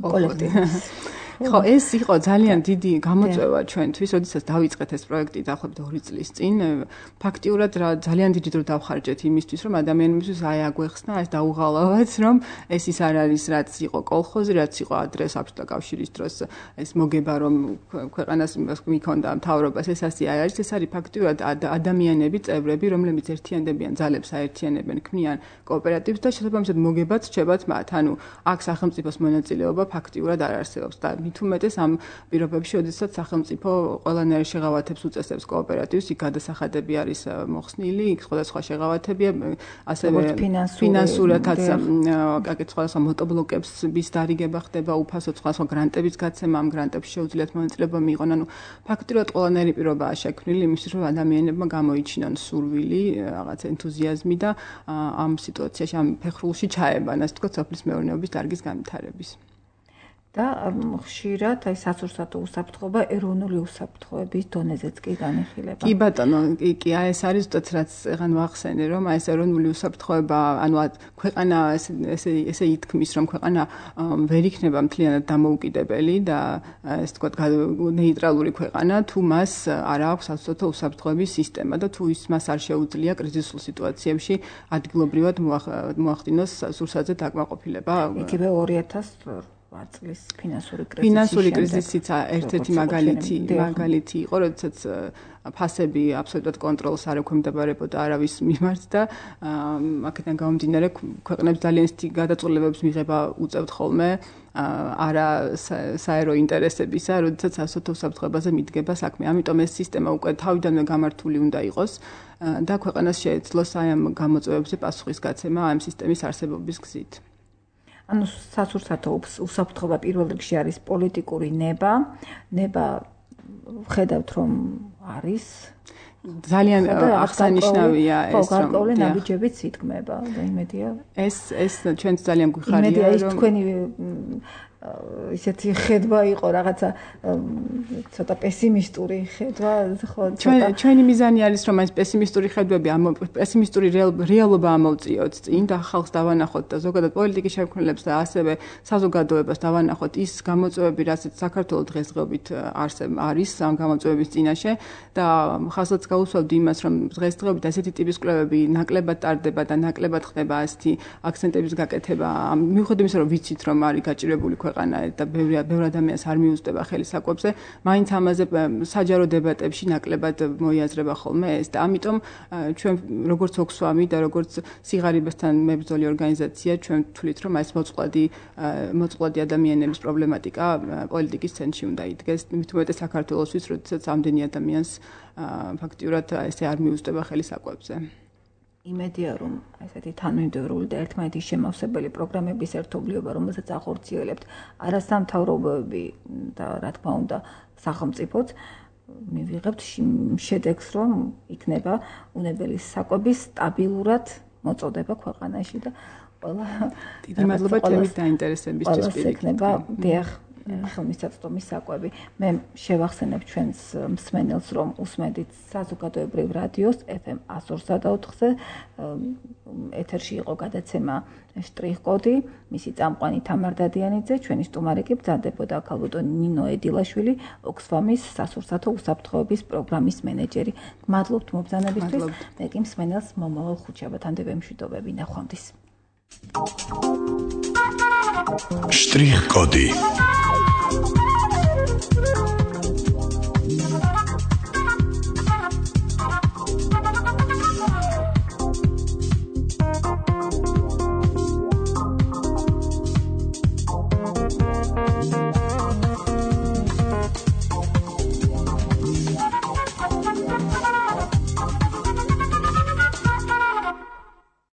კოლექტივს. ხო, ეს იყო ძალიან დიდი გამოწვევა ჩვენთვის, როდესაც დავიწყეთ ეს პროექტი დაახლოებით ორი წლის წინ. ფაქტიურად რა ძალიან დიდი დრო დავხარჯეთ იმისთვის, რომ ადამიანებისთვის აი აგვეხსნა, ეს დაუღალავად, რომ ეს ის არ არის, რაც იყო კოლხოზი, რაც იყო ადრე საბჭოთა კავშირის დროს ეს მოგება, რომ ქვეყანას მიქონდა მთავრობას, ეს ასე არ არის, ეს არის ფაქტიურად ადამიანები, წევრები, რომლებიც ერთიანდებიან ძალებს, აერთიანებენ, ქმნიან კოოპერატივს და შესაბამისად მოგებაც რჩებათ მათ. ანუ აქ სახელმწიფოს მონაწილეობა ფაქტიურად არ არსებობს და მით უმეტეს ამ პირობებში, როდესაც სახელმწიფო ყველანაირ შეღავათებს უწესებს კოოპერატივს, იქ გადასახადები არის მოხსნილი, იქ სხვადასხვა შეღავათებია, ასევე ფინანსურათაც აკეთ სხვადასხვა მოტობლოკებს bis დარიგება ხდება, უფასო სხვადასხვა გრანტების გაცემა, ამ გრანტებში შეუძლიათ მონაწილეობა მიიღონ. ანუ ფაქტიურად ყველანაირი პირობაა შექმნილი იმისთვის, რომ ადამიანებმა გამოიჩინონ სურვილი, რაღაც ენთუზიაზმი და ამ სიტუაციაში, ამ ფეხრულში ჩაებან, ასე ვთქვათ, სოფლის მეურნეობის დარგის განვითარების. და ხშირად აი სასურსათო უსაფრთხოება ეროვნული უსაფრთხოების დონეზეც კი განიხილება. კი ბატონო, კი, კი, აი ეს არის ზუსტად რაც ეხან ვახსენე, რომ აი ეს ეროვნული უსაფრთხოება, ანუ ქვეყანა ესე ესე ითქმის, რომ ქვეყანა ვერ იქნება მთლიანად დამოუკიდებელი და ესე ვთქვათ, ნეიტრალური ქვეყანა, თუ მას არ აქვს სასურსათო უსაფრთხოების სისტემა და თუ ის მას არ შეუძლია კრიზისულ სიტუაციებში ადგილობრივად მოახდინოს სურსათზე დაკმაყოფილება. იგივე ორი ათას წლის ფინანსური კრიზისი. ფინანსური კრიზისიც ერთ-ერთი მაგალითი, მაგალითი იყო, როდესაც ფასები აბსოლუტურად კონტროლს არ ექვემდებარებოდა არავის მიმართ და აქედან გამომდინარე ქვეყნებს ძალიან ისეთი გადაწყვეტილებებს მიღება უწევთ ხოლმე არა საერო ინტერესებისა, როდესაც სასოფლო უსაფრთხოებაზე მიდგება საქმე. ამიტომ ეს სისტემა უკვე თავიდანვე გამართული უნდა იყოს და ქვეყანას შეეძლოს აი ამ გამოწვევებზე პასუხისგაცემა ამ სისტემის არსებობის გზით. ანუ სასურსათო უსაფრთხოება პირველ რიგში არის პოლიტიკური ნება, ნება ხედავთ რომ არის ძალიან აღსანიშნავია ეს რომ გარკვეული ნაბიჯებიც ითქმება და იმედია ეს ეს ჩვენც ძალიან გვიხარია რომ იმედია ის თქვენი ისეთი ხედვა იყო რაღაცა ცოტა პესიმისტური ხედვა ხო ჩვენ ჩვენი მიზანი არის რომ ეს პესიმისტური ხედვები ამ პესიმისტური რეალობა ამოვწიოთ წინ და ხალხს დავანახოთ და ზოგადად პოლიტიკის შემქმნელებს და ასევე საზოგადოებას დავანახოთ ის გამოწვევები რასაც საქართველოს დღესდღეობით არსებ არის ამ გამოწვევების წინაშე და ხალხსაც გაუსვავდი იმას რომ დღესდღეობით ასეთი ტიპის კვლევები ნაკლებად ტარდება და ნაკლებად ხდება ასეთი აქცენტების გაკეთება მიუხედავად იმისა რომ ვიცით რომ არის გაჭირებული ქვეყანა და ბევრი ბევრი ადამიანს არ მიუძდება ხელი საკვებზე, მაინც ამაზე საჯარო დებატებში ნაკლებად მოიაზრება ხოლმე ეს და ამიტომ ჩვენ როგორც ოქსვამი და როგორც სიღარიბესთან მებრძოლი ორგანიზაცია ჩვენ ვთვლით რომ ეს მოწყვლადი მოწყვლადი ადამიანების პრობლემატიკა პოლიტიკის ცენტრში უნდა იდგეს, მით უმეტეს საქართველოსთვის, როდესაც ამდენი ადამიანს ფაქტიურად ესე არ მიუძდება ხელი საკვებზე. იმედია რომ ესეთი თანმიმდევრული და ერთმანეთის შემავსებელი პროგრამების ერთობლიობა, რომელსაც ახორციელებთ არასამთავრობოები და რა თქმა უნდა სახელმწიფოც, მივიღებთ შედეგს, რომ იქნება უნებელი საკვების სტაბილურად მოწოდება ქვეყანაში და ყველა დიდი მადლობა თემის დაინტერესებისთვის იქნება დიახ ხელმისაწვდომის საკვები. მე შევახსენებ ჩვენს მსმენელს, რომ უსმენთ საზოგადოებრივ რადიოს ეფ ემ εκατს ორსა და ოთხზე ეთერში იყო გადაცემა შტრიხ-კოდი, მისი წამყვანი თამარ დადიანიძე, ჩვენი სტუმარი კი ბრძანდებოდა ქალბატონ ნინო ედილაშვილი, ოქსფამის სასურსათო უსაფრთხოების პროგრამის მენეჯერი. გმადლობთ მობრძანებისთვის. მე კი მსმენელს მომავალ ხუთშაბათამდე ვემშვიდობები. ნახვამდის. შტრიხ-კოდი